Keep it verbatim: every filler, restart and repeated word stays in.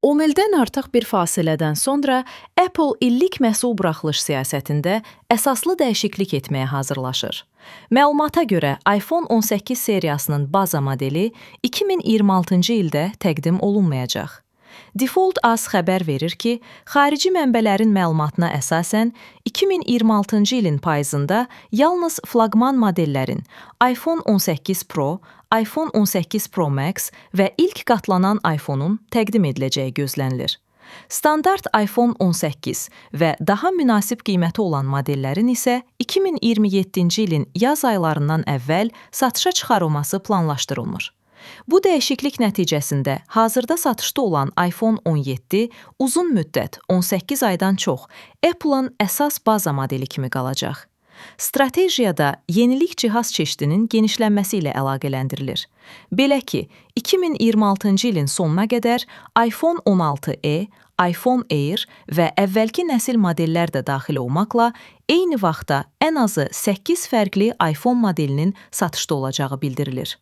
on ildən artıq bir fasilədən sonra Apple illik məhsul buraxılış siyasətində əsaslı dəyişiklik etməyə hazırlaşır. Məlumata görə iPhone on səkkiz seriyasının baza modeli iki min iyirmi altıncı ildə təqdim olunmayacaq. Default Az xəbər verir ki, xarici mənbələrin məlumatına əsasən iki min iyirmi altıncı ilin payızında yalnız flaqman modellərin iPhone on səkkiz Pro, iPhone on səkkiz Pro Max və ilk qatlanan iPhone-un təqdim ediləcəyi gözlənilir. Standart iPhone on səkkiz və daha münasib qiyməti olan modellərin isə iki min iyirmi yeddinci ilin yaz aylarından əvvəl satışa çıxarılması planlaşdırılmır. Bu dəyişiklik nəticəsində hazırda satışda olan iPhone on yeddi uzun müddət on səkkiz aydan çox Apple-ın əsas baza modeli kimi qalacaq. Strategiyada yenilik cihaz çeşidinin genişlənməsi ilə əlaqələndirilir. Belə ki, iki min iyirmi altıncı ilin sonuna qədər iPhone on altı e, iPhone Air və əvvəlki nəsil modellər də daxil olmaqla eyni vaxtda ən azı səkkiz fərqli iPhone modelinin satışda olacağı bildirilir.